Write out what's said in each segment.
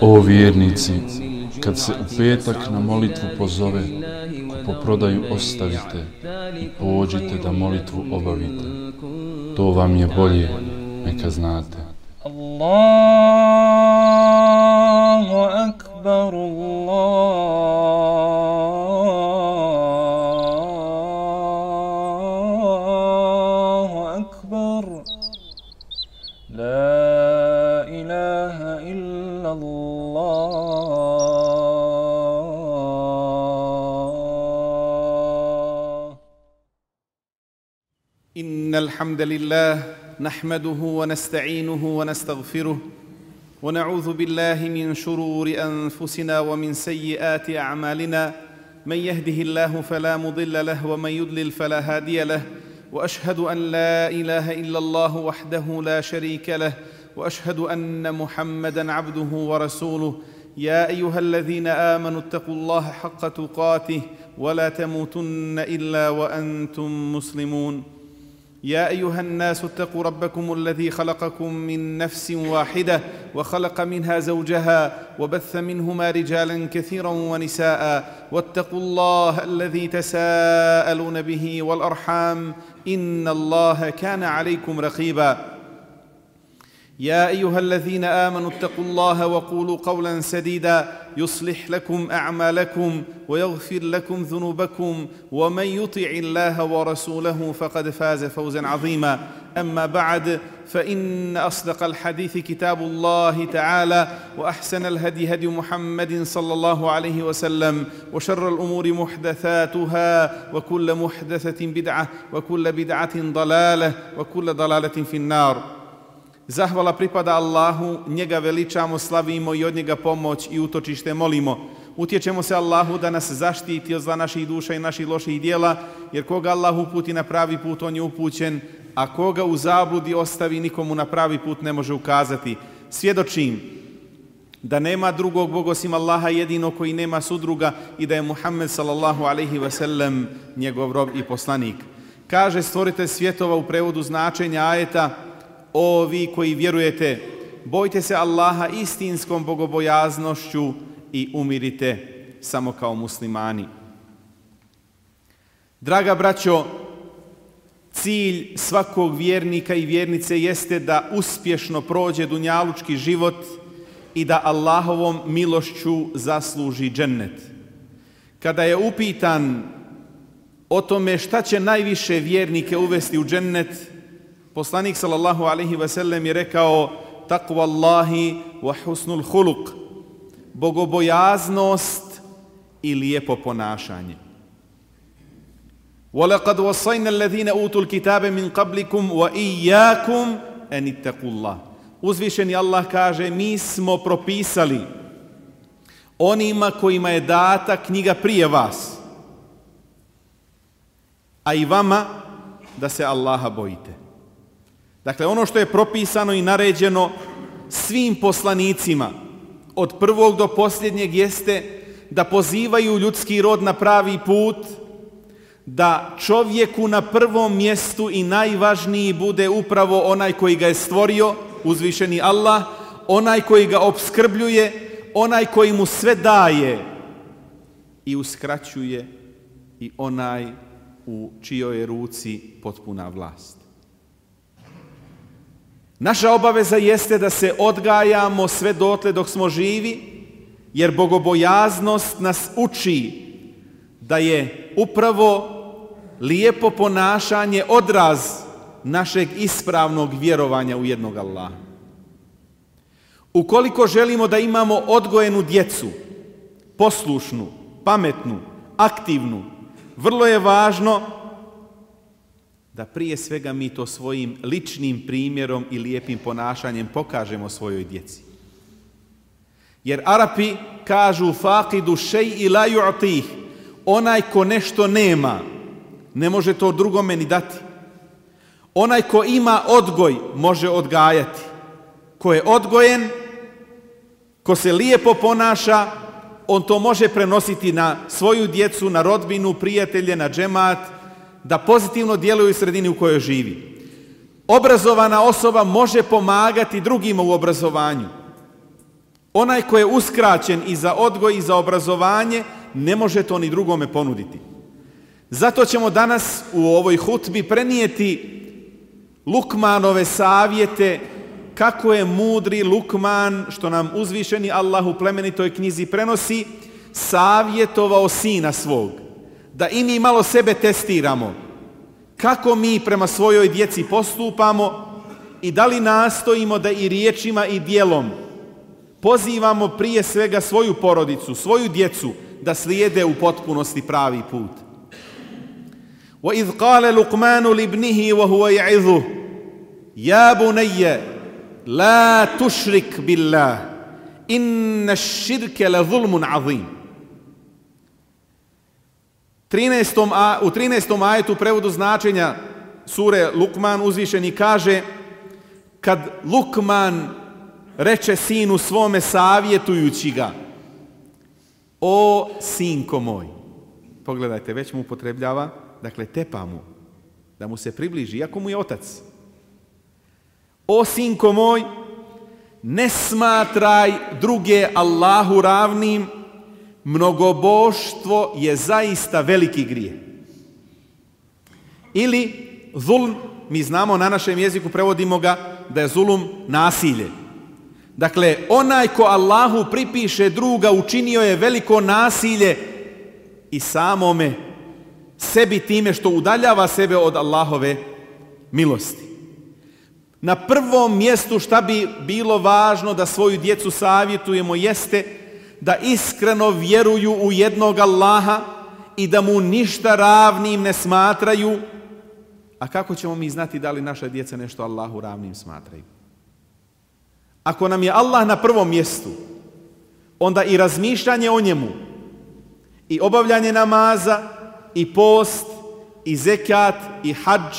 O vjernici, kad se u petak na molitvu pozove, kupoprodaju ostavite i pođite da molitvu obavite. To vam je bolje, neka znate. Allahu akbar, Allahu akbar, la ilaha illa Allah. Innal hamdalillah نحمده ونستعينه ونستغفره ونعوذ بالله من شرور أنفسنا ومن سيئات أعمالنا من يهده الله فلا مضل له ومن يضلل فلا هادي له وأشهد أن لا إله إلا الله وحده لا شريك له وأشهد أن محمدًا عبده ورسوله يا أيها الذين آمنوا اتقوا الله حق تقاته ولا تموتن إلا وأنتم مسلمون يا أيها الناس اتقوا ربكم الذي خلقكم من نفس واحدة وخلق منها زوجها وبث منهما رجالا كثيرا ونساء واتقوا الله الذي تساءلون به والأرحام إن الله كان عليكم رقيبا يا أيها الذين آمنوا اتقوا الله وقولوا قولا سديدا يصلح لكم أعمالكم ويغفر لكم ذنوبكم ومن يطع الله ورسوله فقد فاز فوزا عظيما أما بعد فإن أصدق الحديث كتاب الله تعالى وأحسن الهدي هدي محمد صلى الله عليه وسلم وشر الأمور محدثاتها وكل محدثة بدعة وكل بدعة ضلالة وكل ضلالة في النار. Zahvala pripada Allahu, njega veličamo, slavimo i od njega pomoć i utočište molimo. Utječemo se Allahu da nas zaštiti od zla naših duša i naših loših dijela, jer koga Allah uputi na pravi put, on je upućen, a koga u zabludi ostavi, nikomu na pravi put ne može ukazati. Svjedočim da nema drugog Boga osim Allaha jedino koji nema sudruga i da je Muhammed sallallahu alejhi ve sellem njegov rob i poslanik. Kaže stvoritelj svjetova u prevodu značenja ajeta: O vi koji vjerujete, bojte se Allaha istinskom bogobojaznošću i umirite samo kao muslimani. Draga braćo, cilj svakog vjernika i vjernice jeste da uspješno prođe dunjalučki život i da Allahovom milošću zasluži džennet. Kada je upitan o tome šta će najviše vjernike uvesti u džennet, poslanik sallallahu alejhi ve sellem je rekao: Takva Allahi wa husnul huluk, bogobojaznost i lijepo ponašanje. وَلَقَدْ وَصَّيْنَا الَّذِينَ أُوتُوا الْكِتَابَ مِنْ قَبْلِكُمْ وَإِيَّاكُمْ أَنِ اتَّقُوا اللَّهَ. Uzvišeni Allah kaže: mi smo propisali onima kojima je data knjiga prije vas, a i vama da se Allaha bojite. Dakle, ono što je propisano i naređeno svim poslanicima od prvog do posljednjeg jeste da pozivaju ljudski rod na pravi put, da čovjeku na prvom mjestu i najvažniji bude upravo onaj koji ga je stvorio, uzvišeni Allah, onaj koji ga opskrbljuje, onaj koji mu sve daje i uskraćuje i onaj u čijoj je ruci potpuna vlast. Naša obaveza jeste da se odgajamo sve dotle dok smo živi, jer bogobojaznost nas uči da je upravo lijepo ponašanje odraz našeg ispravnog vjerovanja u jednog Allaha. Ukoliko želimo da imamo odgojenu djecu, poslušnu, pametnu, aktivnu, vrlo je važno da prije svega mi to svojim ličnim primjerom i lijepim ponašanjem pokažemo svojoj djeci. Jer Arapi kažu: faqidu šej'i la yu'tih, onaj ko nešto nema, ne može to drugome ni dati. Onaj ko ima odgoj, može odgajati. Ko je odgojen, ko se lijepo ponaša, on to može prenositi na svoju djecu, na rodbinu, prijatelje, na džemat, da pozitivno djeluju u sredini u kojoj živi. Obrazovana osoba može pomagati drugima u obrazovanju. Onaj ko je uskraćen i za odgoj i za obrazovanje, ne može to ni drugome ponuditi. Zato ćemo danas u ovoj hutbi prenijeti Lukmanove savjete, kako je mudri Lukman, što nam uzvišeni Allah u plemenitoj knjizi prenosi, savjetovao sina svog. Da i mi malo sebe testiramo. Kako mi prema svojoj djeci postupamo i da li nastojimo da i riječima i djelom pozivamo prije svega svoju porodicu, svoju djecu da slijede u potpunosti pravi put. وَإِذْ قَالَ لُقْمَانُ لِابْنِهِ وَهُوَ يَعِظُهُ يَا بُنَيَّ لَا تُشْرِكْ بِاللَّهِ إِنَّ الشِّرْكَ لَظُلْمٌ عَظِيمٌ. U 13. ajetu prevodu značenja sure Lukman uzvišeni kaže: kad Lukman reče sinu svome savjetujući ga: o sinko moj. Pogledajte, već mu upotrebljava, dakle tepa mu, da mu se približi, iako mu je otac. O sinko moj, ne smatraj druge Allahu ravnim, mnogoboštvo je zaista veliki grijeh. Ili zulm, mi znamo na našem jeziku, prevodimo ga da je zulum nasilje. Dakle, onaj ko Allahu pripiše druga učinio je veliko nasilje i samome sebi time što udaljava sebe od Allahove milosti. Na prvom mjestu šta bi bilo važno da svoju djecu savjetujemo jeste da iskreno vjeruju u jednog Allaha i da mu ništa ravnim ne smatraju. A kako ćemo mi znati da li naša djeca nešto Allahu ravnim smatraju? Ako nam je Allah na prvom mjestu, onda i razmišljanje o njemu, i obavljanje namaza, i post, i zekat, i hadž,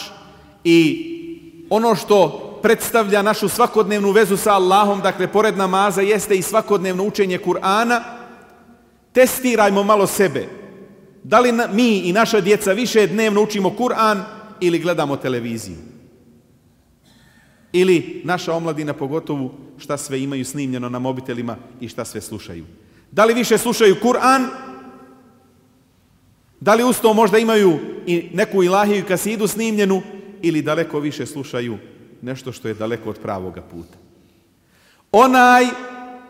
i ono što predstavlja našu svakodnevnu vezu sa Allahom, dakle, pored namaza, jeste i svakodnevno učenje Kur'ana. Testirajmo malo sebe. Da li mi i naša djeca više dnevno učimo Kur'an ili gledamo televiziju? Ili naša omladina, pogotovo, šta sve imaju snimljeno na mobitelima i šta sve slušaju? Da li više slušaju Kur'an? Da li uz to možda imaju i neku ilahiju kasidu snimljenu? Ili daleko više slušaju nešto što je daleko od pravoga puta?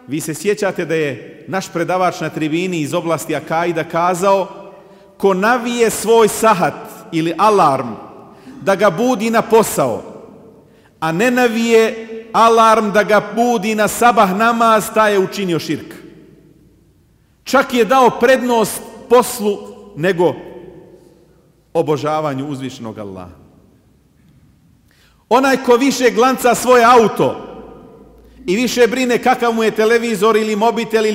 Vi se sjećate da je naš predavač na tribini iz oblasti akaida kazao: ko navije svoj sahat ili alarm da ga budi na posao, a ne navije alarm da ga budi na sabah namaz, taj je učinio širk. Čak je dao prednost poslu nego obožavanju uzvišenog Allaha. Onaj ko više glanca svoje auto i više brine kakav mu je televizor ili mobitel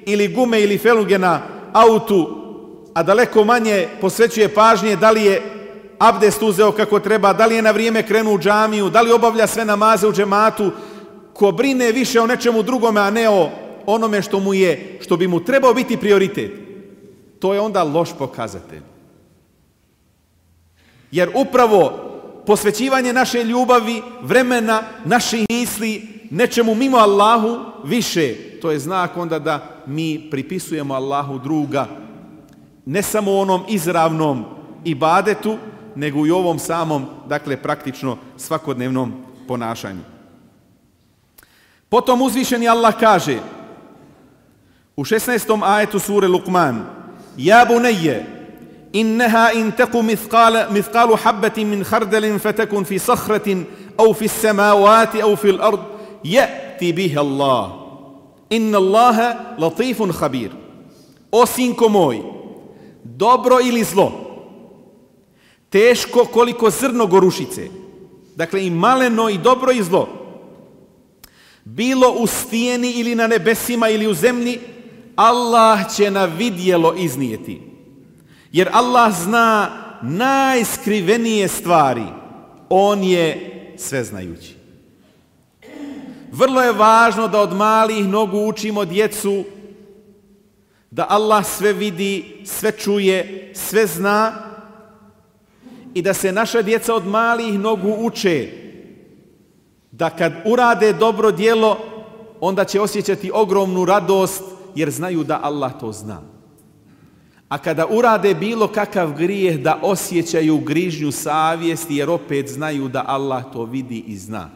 ili gume ili feluge na autu, a daleko manje posvećuje pažnje da li je abdest uzeo kako treba, da li je na vrijeme krenuo u džamiju, da li obavlja sve namaze u džematu, ko brine više o nečemu drugome, a ne o onome što bi mu trebao biti prioritet, to je onda loš pokazatelj. Jer upravo posvećivanje naše ljubavi, vremena, naših misli nečemu mimo Allahu više, to je znak onda da mi pripisujemo Allahu druga, ne samo onom izravnom ibadetu, nego i ovom samom, dakle, praktično svakodnevnom ponašanju. Potom uzvišeni Allah kaže u 16. ajetu sure Lukman: ja bunayya innaha in taku mithqalu habatin min khardalin fatakun fi sakhratin aw fi as-samawati aw fi al-ard ya'ti biha Allah inna Allaha latifun khabir. O sinko moj, dobro ili zlo, teško koliko zrno gorušice, dakle i maleno i dobro i zlo, bilo u stijeni ili na nebesima ili u zemlji, Allah će na vidjelo iznijeti. Jer Allah zna najskrivenije stvari. On je sveznajući. Vrlo je važno da od malih nogu učimo djecu da Allah sve vidi, sve čuje, sve zna i da se naša djeca od malih nogu uče da kad urade dobro djelo onda će osjećati ogromnu radost jer znaju da Allah to zna. A kada urade bilo kakav grijeh da osjećaju grižnju savjesti jer opet znaju da Allah to vidi i zna.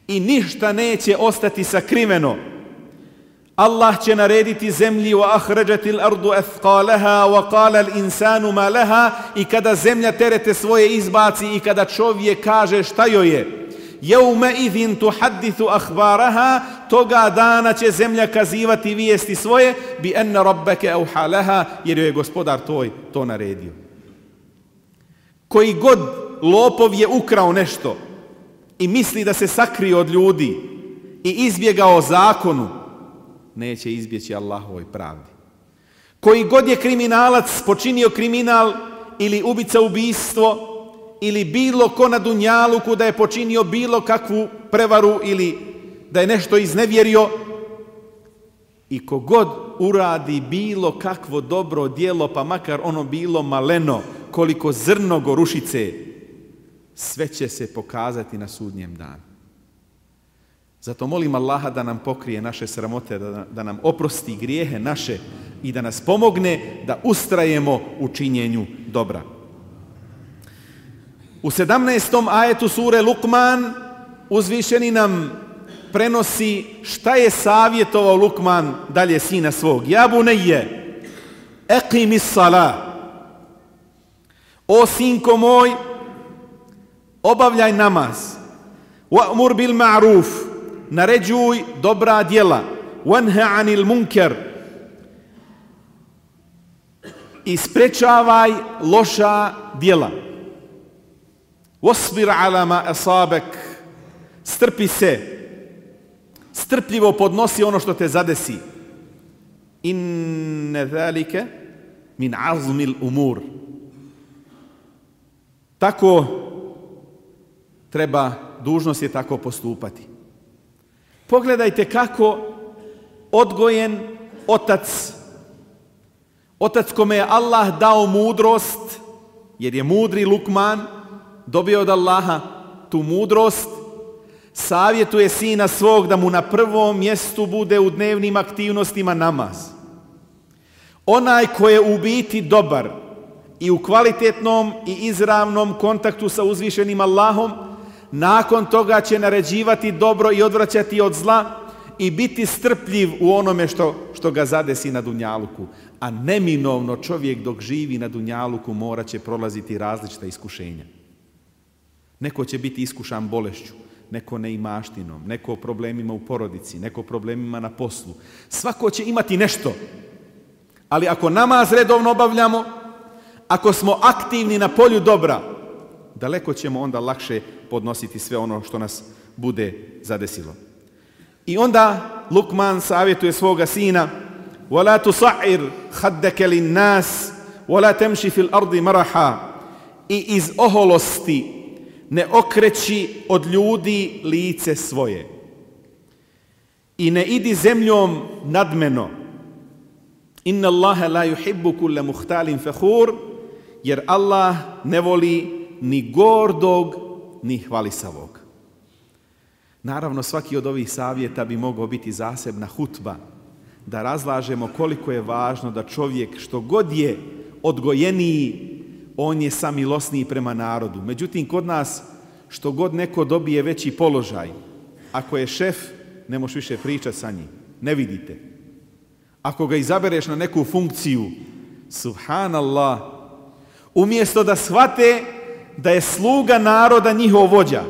I ništa neće ostati sakriveno. Allah će narediti zemlji wa ahrajatil ardu athqalaha wa qala al insanu ma laha, i kada zemlja terete svoje izbaci i kada čovjek kaže šta joj je. Yawma idhin tuhaddithu akhbaraha, toga dana će zemlja kazivati vijesti svoje, bi anna rabbaka awha laha, jer je gospodar tvoj to naredio. Koji god lopov je ukrao nešto i misli da se sakrije od ljudi i izbjegao zakonu, neće izbjeći Allahovoj pravdi. Koji god je kriminalac, počinio kriminal ili ubica ubistvo ili bilo ko na dunjaluku da je počinio bilo kakvu prevaru ili da je nešto iznevjerio, i kogod uradi bilo kakvo dobro djelo, pa makar ono bilo maleno, koliko zrno gorušice, sve će se pokazati na sudnjem danu. Zato molim Allaha da nam pokrije naše sramote, da nam oprosti grijehe naše i da nas pomogne da ustrajemo u činjenju dobra. U 17. ajetu sure Lukman uzvišeni nam prenosi šta je savjetovao Lukman dalje sina svog. Ja bunejje, eqimis salah. O sinko moj, obavljaj namaz. Wa'mur bil ma'ruf, naređuj dobra djela. Wanha anil munkar, i sprečavaj loša djela. Wasbir ala ma asabak, strpi se, strpljivo podnosi ono što te zadesi. Inne zalike min azmil umur. Tako treba, dužnost je tako postupati. Pogledajte kako odgojen otac kome je Allah dao mudrost, jer je mudri Lukman, dobio od Allaha tu mudrost, savjetuje sina svog da mu na prvom mjestu bude u dnevnim aktivnostima namaz. Onaj ko je u biti dobar i u kvalitetnom i izravnom kontaktu sa uzvišenim Allahom, nakon toga će naređivati dobro i odvraćati od zla i biti strpljiv u onome što ga zadesi na dunjaluku. A neminovno čovjek dok živi na dunjaluku morat će prolaziti različita iskušenja. Neko će biti iskušan bolešću, neko neimaštinom, neko problemima u porodici, neko problemima na poslu. Svako će imati nešto. Ali ako namaz redovno obavljamo, ako smo aktivni na polju dobra, daleko ćemo onda lakše podnositi sve ono što nas bude zadesilo. I onda Lukman savjetuje svoga sina: وَلَا تُصَعِّرْ خَدَّكَ لِلنَّاسِ وَلَا تَمْشِ فِي الْأَرْضِ مَرَحًا, i iz oholosti ne okreći od ljudi lice svoje i ne idi zemljom nadmeno. Inna Allaha la yuhibbu kulla muhtalin fakhur, jer Allah ne voli ni gordog ni hvalisavog. Naravno, svaki od ovih savjeta bi mogao biti zasebna hutba, da razlažemo koliko je važno da čovjek, što god je odgojeniji, on je samilosniji prema narodu. Međutim, kod nas, što god neko dobije veći položaj, ako je šef, ne možeš više pričati sa njim. Ne vidite. Ako ga izabereš na neku funkciju, subhanallah, umjesto da shvate da je sluga naroda njihov vođa,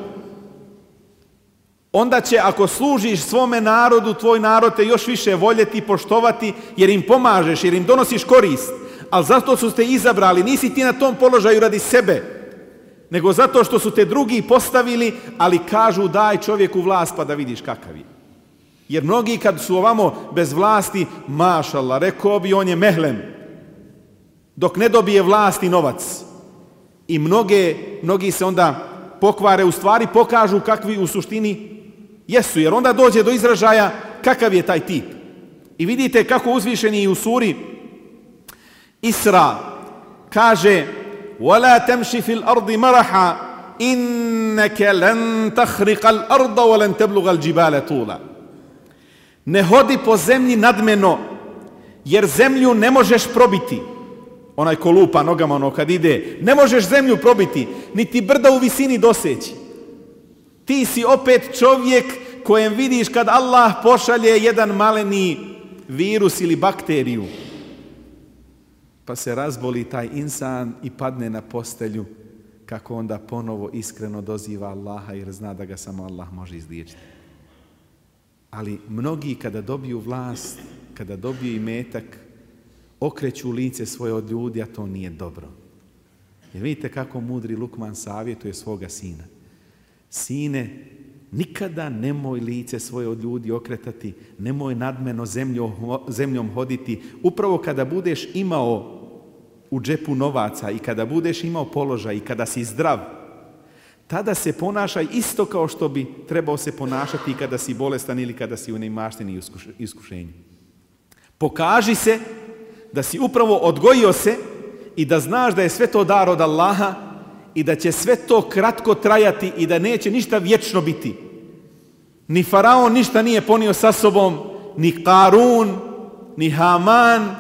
onda će, ako služiš svome narodu, tvoj narod te još više voljeti i poštovati, jer im pomažeš, jer im donosiš korist. Ali zato su te izabrali, nisi ti na tom položaju radi sebe, nego zato što su te drugi postavili, ali kažu daj čovjeku vlast pa da vidiš kakav je. Jer mnogi kad su ovamo bez vlasti, mašallah, rekao bi on je mehlem, dok ne dobije vlast i novac. I mnogi se onda pokvare, u stvari pokažu kakvi u suštini jesu, jer onda dođe do izražaja kakav je taj tip. I vidite kako uzvišeni u suri Isra kaže: وَلَا تَمْشِ فِي الْأَرْضِ مَرَحًا إِنَّكَ لَنْ تَخْرِقَ الْأَرْضَ وَلَنْ تَبْلُغَ الْجِبَالَ طُولًا. Ne hodi po zemlji nadmeno, jer zemlju ne možeš probiti. Onaj ko lupa nogama, ono kad ide, ne možeš zemlju probiti, niti brda u visini doseći. Ti si opet čovjek kojem vidiš kad Allah pošalje jedan maleni virus ili bakteriju, pa se razboli taj insan i padne na postelju, kako onda ponovo iskreno doziva Allaha jer zna da ga samo Allah može izliječiti. Ali mnogi kada dobiju vlast, kada dobiju imetak, okreću lice svoje od ljudi, a to nije dobro. Jer vidite kako mudri Lukman savjetuje svoga sina. Sine, nikada nemoj lice svoje od ljudi okretati, nemoj nadmeno zemljom hoditi. Upravo kada budeš imao u džepu novaca i kada budeš imao položaj i kada si zdrav, tada se ponašaj isto kao što bi trebao se ponašati i kada si bolestan ili kada si u neimaštini i iskušenju. Pokaži se da si upravo odgojio se i da znaš da je sve to dar od Allaha i da će sve to kratko trajati i da neće ništa vječno biti. Ni Faraon ništa nije ponio sa sobom, ni Karun, ni Haman,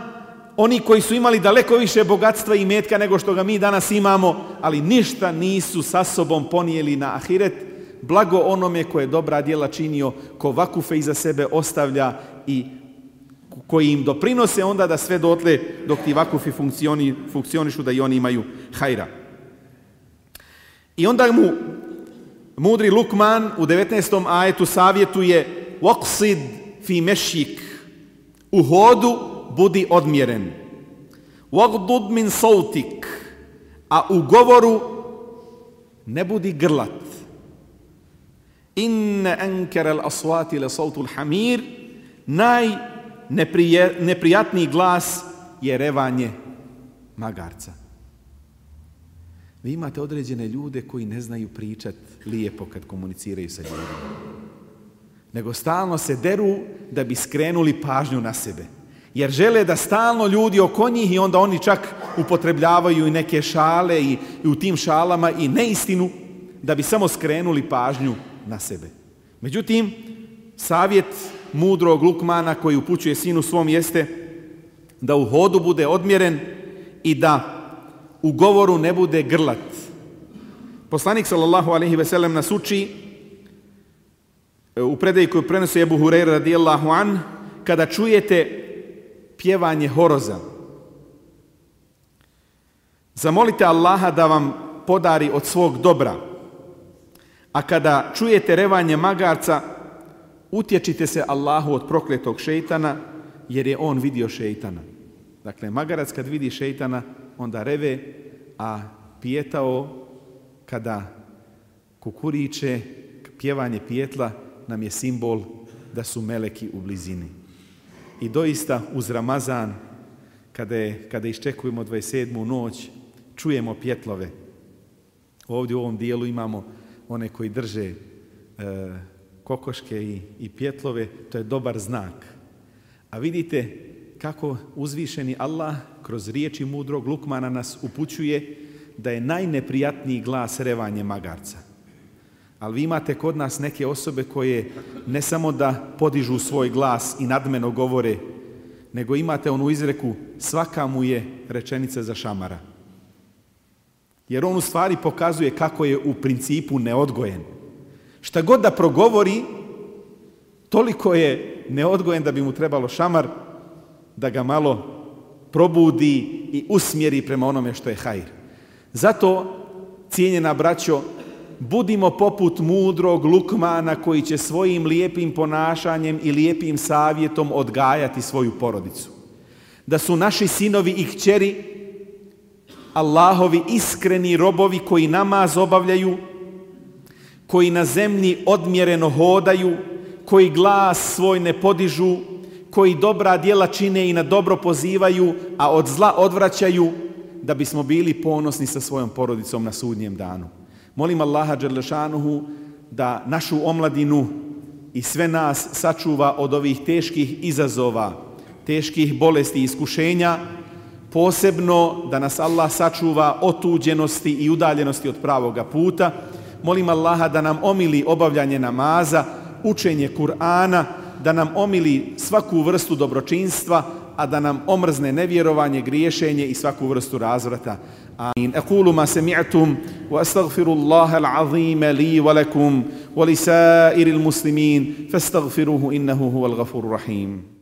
oni koji su imali daleko više bogatstva i metka nego što ga mi danas imamo, ali ništa nisu sa sobom ponijeli na ahiret. Blago onome koje dobra djela činio, ko vakufe iza sebe ostavlja i koji im doprinose onda da sve dotle dok ti vakufi funkcionišu da i oni imaju hajra. I onda mu mudri Lukman u 19. ajetu savjetuje waqsid fi mešjik, u hodu budi odmjeren, wagdud min sautik, a u govoru ne budi grlat. Inna ankara al-aswati la sautul hamir, najneprijatniji glas je revanje magarca. Vi imate određene ljude koji ne znaju pričati lijepo kad komuniciraju sa ljudima, nego stalno se deru da bi skrenuli pažnju na sebe. Jer žele da stalno ljudi oko njih i onda oni čak upotrebljavaju i neke šale i u tim šalama i neistinu da bi samo skrenuli pažnju na sebe. Međutim, savjet mudrog Lukmana koji upućuje sinu svom jeste da u hodu bude odmjeren i da u govoru ne bude grlat. Poslanik sallallahu alejhi ve sellem nas uči u predaji koju prenosi Ebu Hurajra radijallahu an, kada čujete pjevanje horoza, zamolite Allaha da vam podari od svog dobra, a kada čujete revanje magarca, utječite se Allahu od prokletog šejtana, jer je on vidio šejtana. Dakle, magarac kad vidi šejtana, onda reve, a pijetao kada kukuriče, pjevanje pijetla nam je simbol da su meleki u blizini. I doista uz Ramazan, kada iščekujemo 27. noć, čujemo pjetlove. Ovdje u ovom dijelu imamo one koji drže kokoške i pjetlove, to je dobar znak. A vidite kako uzvišeni Allah kroz riječi mudrog Lukmana nas upućuje da je najneprijatniji glas revanje magarca. Ali vi imate kod nas neke osobe koje ne samo da podižu svoj glas i nadmeno govore, nego imate onu izreku svaka mu je rečenica za šamara. Jer on u stvari pokazuje kako je u principu neodgojen. Šta god da progovori, toliko je neodgojen da bi mu trebalo šamar da ga malo probudi i usmjeri prema onome što je hajr. Zato, cijenjena braćo, budimo poput mudrog Lukmana koji će svojim lijepim ponašanjem i lijepim savjetom odgajati svoju porodicu. Da su naši sinovi i kćeri Allahovi iskreni robovi koji namaz obavljaju, koji na zemlji odmjereno hodaju, koji glas svoj ne podižu, koji dobra djela čine i na dobro pozivaju, a od zla odvraćaju, da bismo bili ponosni sa svojom porodicom na sudnjem danu. Molim Allaha dželle šanuhu da našu omladinu i sve nas sačuva od ovih teških izazova, teških bolesti i iskušenja, posebno da nas Allah sačuva otuđenosti i udaljenosti od pravoga puta. Molim Allaha da nam omili obavljanje namaza, učenje Kur'ana, da nam omili svaku vrstu dobročinstva, a da nam omrzne nevjerovanje, griješenje i svaku vrstu razvrata. Amin. Aqulu ma sami'tum wa astaghfirullaha al-azima li wa lakum wa li sa'iril muslimin fastaghfiruhu innahu huwal ghafurur rahim.